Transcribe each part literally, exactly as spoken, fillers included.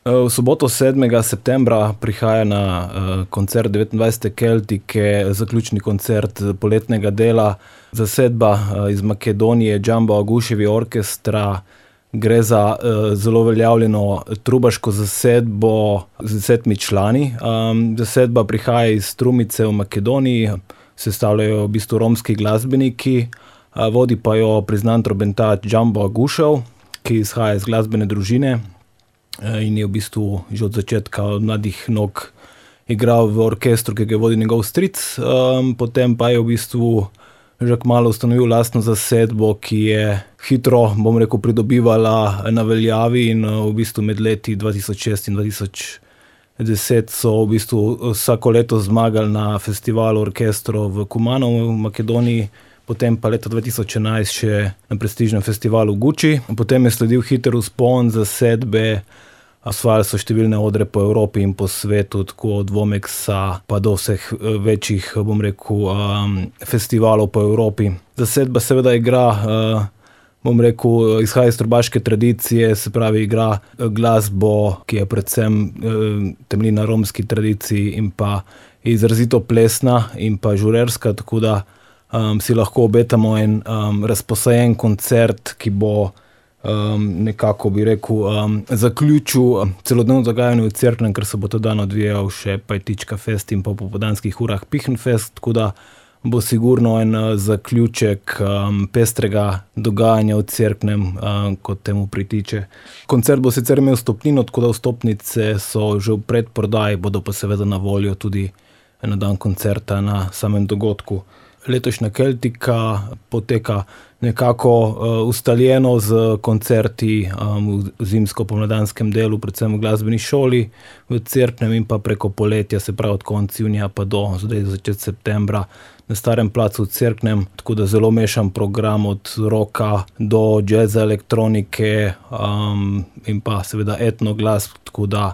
V soboto sedmega septembra prihaja na koncert devetindvajsete Keltike, zaključni koncert poletnega dela. Zasedba iz Makedonije, Džambo Aguševi orkestra. Gre za zelo uveljavljeno trubaško zasedbo z desetimi člani. Zasedba prihaja iz Strumice v Makedoniji, sestavljajo v bistvu romski glasbeniki, vodi pa jo priznan trobentač Džambo Agušev, ki izhaja iz glasbene družine in je v bistvu že od začetka, od mladih nog igral v orkestru, ki ga vodi njegov stric. Potem pa je v bistvu že kmalu ustanovil lastno zasedbo, ki je hitro, bom rekel, pridobivala na veljavi in v bistvu med leti dva tisoč šest in dva tisoč deset so v bistvu vsako leto zmagali na festivalu orkestrov v Kumanovu v Makedoniji, potem pa leta dva tisoč enajst še na prestižnem festivalu v Guči. Potem je sledil hiter vzpon zasedbe, osvajali so številne odre po Evropi in po svetu, tako od Vomeksa pa do vseh večjih, bom rekel, festivalov po Evropi. Zasedba seveda igra, bom rekel, izhaja iz trubaške tradicije, se pravi igra glasbo, ki je predvsem temelji na romski tradiciji in pa izrazito plesna in pa žurerska, tako da Um, si lahko obetamo en um, razposajen koncert, ki bo um, nekako, bi rekel, um, zaključil celodnevno dogajanje v Cerknem, ker se bo ta dan odvijal še Pajtička fest in pa v popoldanskih urah Pihnfest, tako da bo sigurno en uh, zaključek um, pestrega dogajanja v Cerknem, um, kot temu pritiče. Koncert bo sicer imel vstopnino, tako da vstopnice so že v predprodaji, bodo pa seveda na voljo tudi na dan koncerta na samem dogodku. Letošnja Keltika poteka nekako uh, ustaljeno z koncerti um, v zimsko-pomladanskem delu, predvsem v glasbeni šoli v Cerknem in pa preko poletja, se pravi od konca junija pa do zdaj začetka septembra na Starem placu v Cerknem, tako da zelo mešan program od rocka do jazza, elektronike um, in pa seveda etno glasb, tako da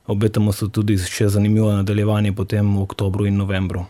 obetamo se tudi še zanimivo nadaljevanje potem v oktobru in novembru.